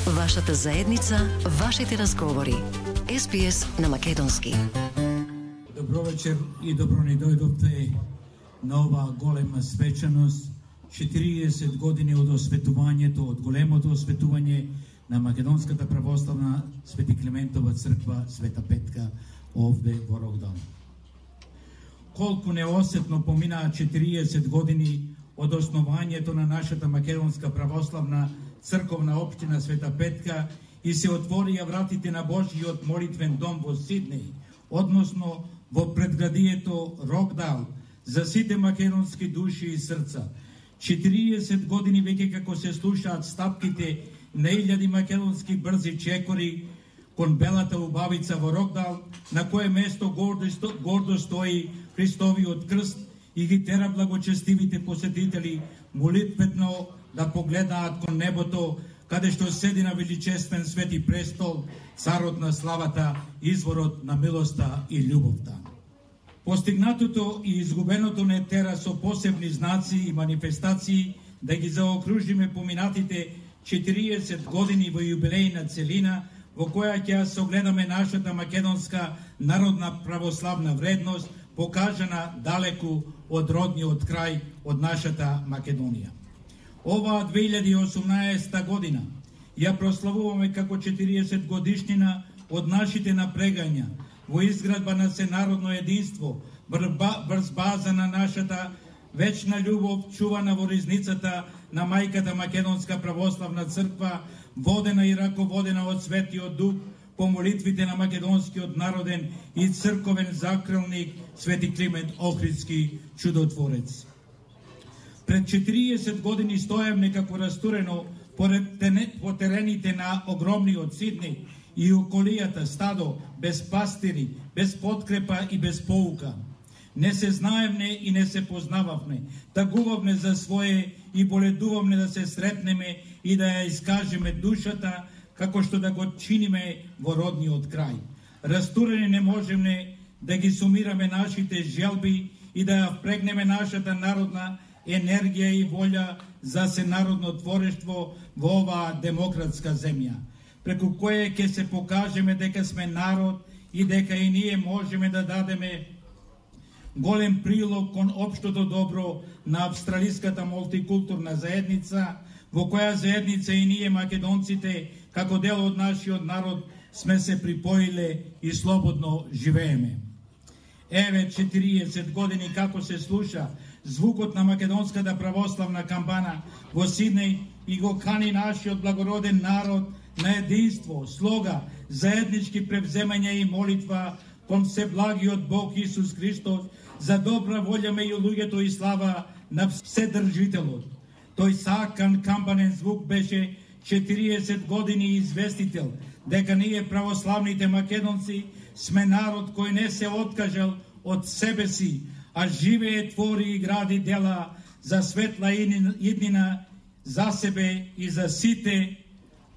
Вашата заедница, вашите разговори. СПС на македонски. Добро вечер и добро ни дојдовте на ова голема свечаност, 40 години од осветувањето, од големото осветување на Македонската православна Свети Климентова црква Света Петка овде во Рокдал. Колку неосетно поминаа 40 години од основањето на нашата Македонска православна црковна општина Света Петка и се отворија вратите на Божјиот молитвен дом во Сиднеј, односно во предградието Рокдал, за сите македонски души и срца. 40 години веќе како се слушаат стапките на илјади македонски брзи чекори кон белата убавица во Рокдал, на кое место гордо стои Христовиот крст и ги тера благочестивите посетители молитвено да погледаат кон небото, каде што седи на величествен свети престол, царот на славата, изворот на милоста и љубовта. Постигнатото и изгубеното не тера со посебни знаци и манифестации да ги заокружиме поминатите 40 години во јубилејна целина, во која ќе согледаме нашата македонска народна православна вредност, покажана далеку од родниот крај, од нашата Македонија. Оваа 2018 година ја прославуваме како 40 годишнина од нашите напрегања во изградба на сенародно единство, врз база на нашата вечна љубов, чувана во ризницата на мајката Македонска православна црква, водена и раководена од Светиот Дух, по молитвите на македонскиот народен и црковен закрилник Свети Климент Охридски чудотворец. Пред 40 години стоев некако растурено по терените на огромниот Сиднеј и околијата стадо, без пастири, без подкрепа и без поука. Не се знаевме и не се познававме, тагувавме за свое и боледувавме да се сретнеме и да ја искажеме душата, како што да го чиниме во родниот крај. Растурени не можеме да ги сумираме нашите желби и да ја впрегнеме нашата народна енергија и волја за сенародно творештво во оваа демократска земја, преку кое ќе се покажеме дека сме народ и дека и ние можеме да дадеме голем прилог кон општото добро на австралиската мултикултурна заедница, во која заедница и ние македонците, како дел од нашиот народ, сме се припоиле и слободно живееме. Еве 40 години како се слуша звукот на македонската православна камбана во Сиднеј и го кани нашиот благороден народ на единство, слога, заеднички превземања и молитва кон Всеблагиот Бог Исус Христос за добра волја меѓу луѓето и слава на Вседржителот. Тој сакан камбанен звук беше 40 години известител дека ние православните македонци сме народ кој не се откажал од себе си, а живее, твори и гради дела за светла иднина за себе и за сите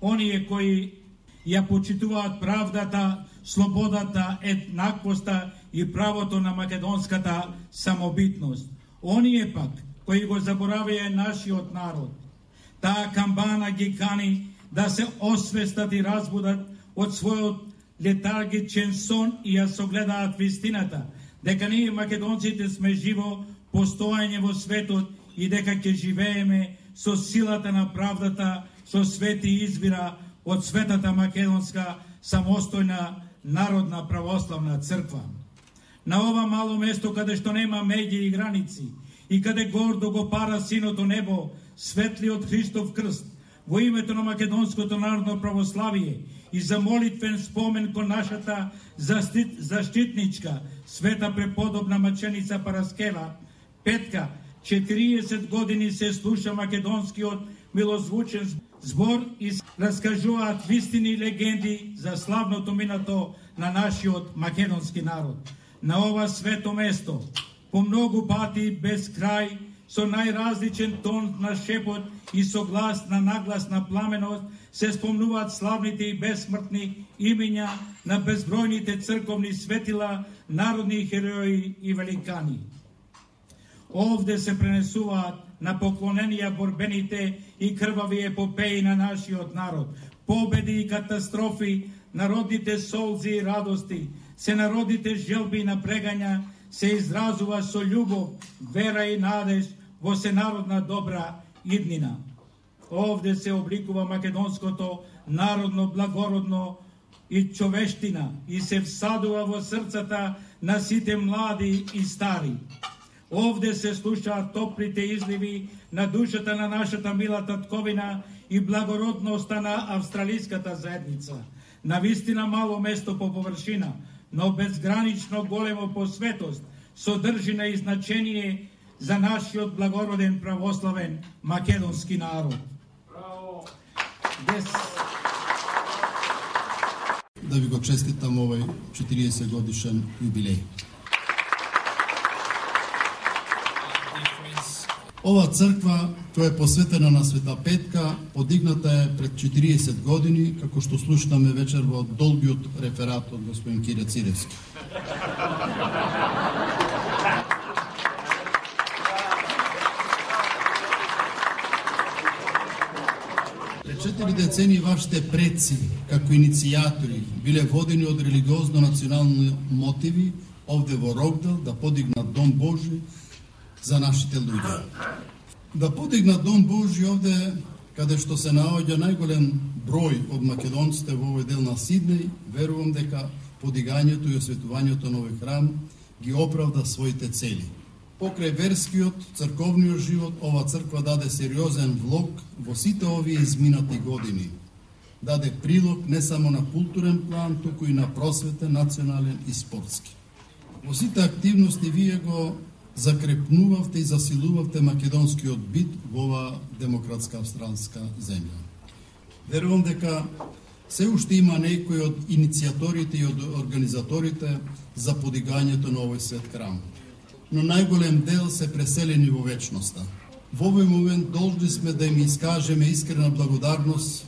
оние кои ја почитуваат правдата, слободата, еднаквоста и правото на македонската самобитност. Оние пак кои го заборавија нашиот народ. Таа камбана ги кани да се освестат и разбудат од својот летаргичен сон и ја согледаат вистината, дека ние македонците сме живо постоење во светот и дека ќе живееме со силата на правдата, со свети избира од Светата Македонска самостојна народна православна црква. На ова мало место каде што нема меѓи и граници и каде гордо го пара синото небо, светлиот Христов крст, во името на македонското народно православие и за молитвен спомен кон нашата заштитничка, света преподобна маченица Параскева Петка, 40 години се слуша македонскиот милозвучен збор и раскажуваат вистини и легенди за славното минато на нашиот македонски народ. На ова свето место, по многу пати без крај, со најразличен тон на шепот и со глас на нагласна пламеност, се спомнуваат славните и безсмртни имиња на безбројните црковни светила, народни херои и великани. Овде се пренесуваат на поклоненија борбените и крвави епопеи на нашиот народ, победи и катастрофи, народните солзи и радости, сенародните желби и напрегања се изразува со љубов, вера и надеж во сенародна добра иднина. Овде се обликува македонското народно благородно и човештина и се всадува во срцата на сите млади и стари. Овде се слушаат топлите изливи на душата на нашата мила татковина и благородноста на австралиската заедница. Навистина мало место по површина, но безгранично големо по светост, содржина и значение за нашиот благороден православен македонски народ. Да ви го честитам овој 40 годишен јубилеј. Ова црква, која е посветена на Света Петка, подигната е пред 40 години, како што слушнаме вечер во долгиот реферат од господин Кире Циревски. Пред 4 децени вашите предци, како иницијатори, биле водени од религиозно-национални мотиви овде во Рокдел да подигнат Дом Божи за нашите луѓе. Да подигнат Дом Божи овде, каде што се наоѓа најголем број од македонците во овој дел на Сиднеј, верувам дека подигањето и осветувањето на овој храм ги оправда своите цели. Покрај верскиот, црковниот живот, ова црква даде сериозен влог во сите овие изминати години. Даде прилог не само на културен план, туку и на просветен, национален и спортски. Во сите активности вие го закрепнувавте и засилувавте македонскиот бит во оваа демократска австралска земја. Верувам дека се уште има некои од иницијаторите и од организаторите за подигањето на овој свет храм, но најголем дел се преселени во вечноста. Во овој момент должни сме да им искажеме искрена благодарност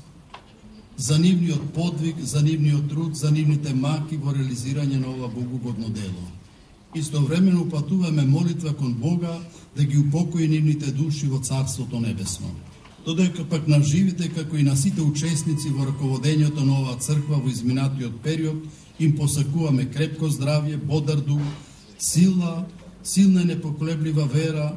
за нивниот подвиг, за нивниот труд, за нивните маки во реализирање на ова богугодно дело. Истовремено упатуваме молитва кон Бога да ги упокои нивните души во Царството Небесно. Додека пак на живите, како и на сите учесници во раководењето на оваа црква во изминатиот период, им посакуваме крепко здравје, бодар дух, силна и непоколеблива вера,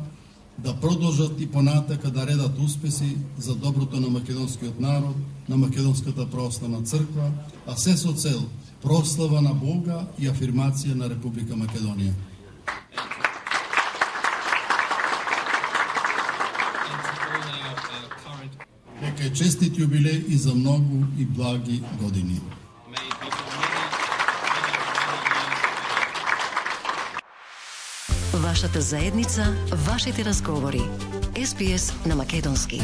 да продолжат и понатака да редат успеси за доброто на македонскиот народ, на Македонската православна црква, а се со цел прослава на Бога и афирмација на Република Македонија. Нека е честит јубилеј и за многу и благи години. Вашата заедница, вашите разговори. SBS на македонски.